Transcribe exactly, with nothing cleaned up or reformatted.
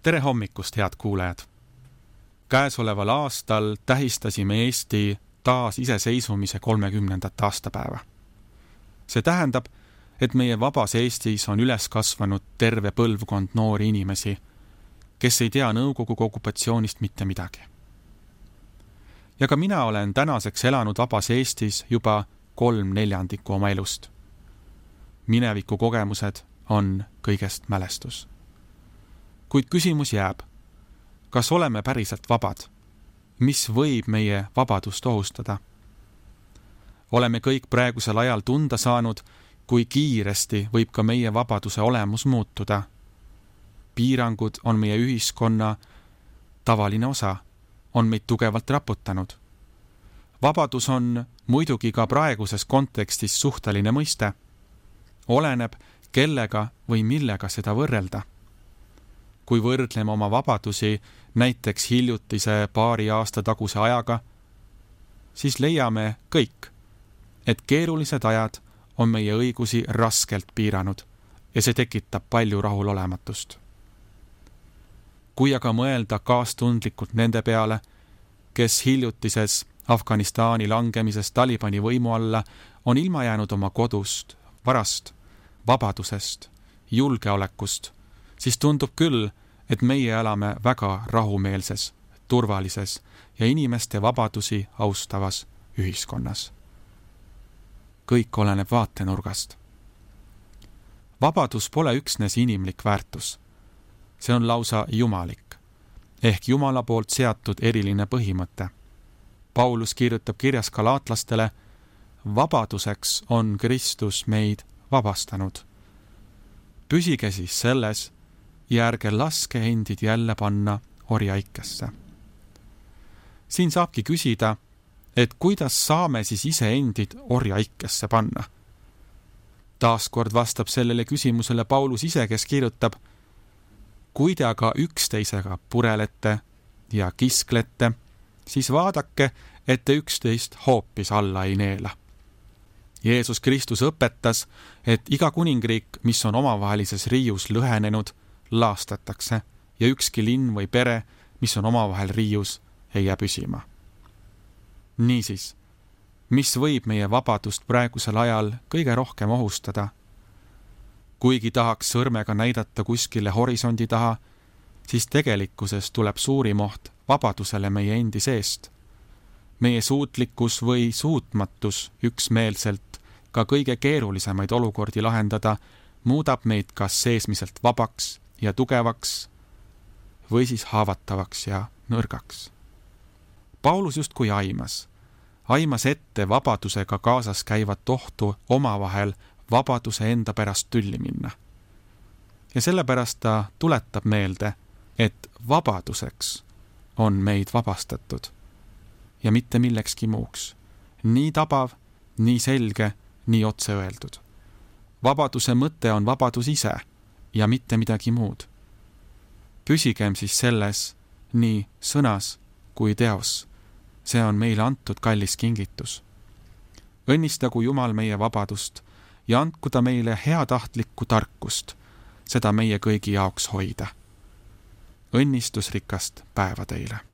tere hommikust, head kuulajad! Käesoleval aastal tähistasime Eesti taas iseseisvumise kolmekümnendat aastapäeva. See tähendab, et meie vabas Eestis on üles kasvanud terve põlvkond noori inimesi, kes ei tea Nõukogude okupatsioonist mitte midagi. Ja ka mina olen tänaseks elanud vabas Eestis juba kolm neljandikku oma elust. Mineviku kogemused on kõigest mälestus. Kuid küsimus jääb, kas oleme päriselt vabad? Mis võib meie vabadust ohustada? Oleme kõik praegusel ajal tunda saanud, kui kiiresti võib ka meie vabaduse olemus muutuda. Piirangud on meie ühiskonna tavaline osa, on meid tugevalt raputanud. Vabadus on muidugi ka praeguses kontekstis suhteline mõiste. Oleneb, kellega või millega seda võrrelda. Kui võrdleme oma vabadusi näiteks hiljutise paari aasta taguse ajaga, siis leiame kõik, et keerulised ajad on meie õigusi raskelt piiranud ja see tekitab palju rahulolematust. Kui aga mõelda kaastundlikult nende peale, kes hiljutises Afganistani langemisest Talibani võimu alla on ilma jäänud oma kodust, varast, vabadusest, julgeolekust, siis tundub küll, et meie elame väga rahumeelses, turvalises ja inimeste vabadusi austavas ühiskonnas. Kõik oleneb vaatenurgast. Vabadus pole üksnes inimlik väärtus. See on lausa jumalik, ehk Jumala poolt seatud eriline põhimõte. Paulus kirjutab kirjas galaatlastele, vabaduseks on Kristus meid vabastanud. Püsige siis selles ja ärge laske endid jälle panna orjaikesse. Siin saabki küsida, et kuidas saame siis ise endid orjaikesse panna. Taaskord vastab sellele küsimusele Paulus ise, kes kirjutab, kui te aga üksteisega purelete ja kisklete, siis vaadake, et te üksteist hoopis alla ei neela. Jeesus Kristus õpetas, et iga kuningriik, mis on omavahelises riius lõhenenud, laastatakse ja ükski linn või pere, mis on omavahel riius, ei jää püsima. Niisiis, mis võib meie vabadust praegusel ajal kõige rohkem ohustada? Kuigi tahaks sõrmega näidata kuskile horisondi taha, siis tegelikkuses tuleb suurim oht vabadusele meie endi seest. Meie suutlikkus või suutmatus üksmeelselt ka kõige keerulisemaid olukordi lahendada muudab meid kas seesmiselt vabaks ja tugevaks või siis haavatavaks ja nõrgaks. Paulus justkui aimas, aimas ette vabadusega kaasas käivat ohtu omavahel vabaduse enda pärast tülli minna. Ja sellepärast ta tuletab meelde, et vabaduseks on meid vabastatud ja mitte millekski muuks. Nii tabav, nii selge, nii otse öeldud. Vabaduse mõte on vabadus ise ja mitte midagi muud. Püsigem siis selles nii sõnas kui teos. See on meile antud kallis kingitus. Õnnistagu Jumal meie vabadust ja andku ta meile heatahtlikku tarkust, seda meie kõigi jaoks hoida. Õnnistusrikast päeva teile!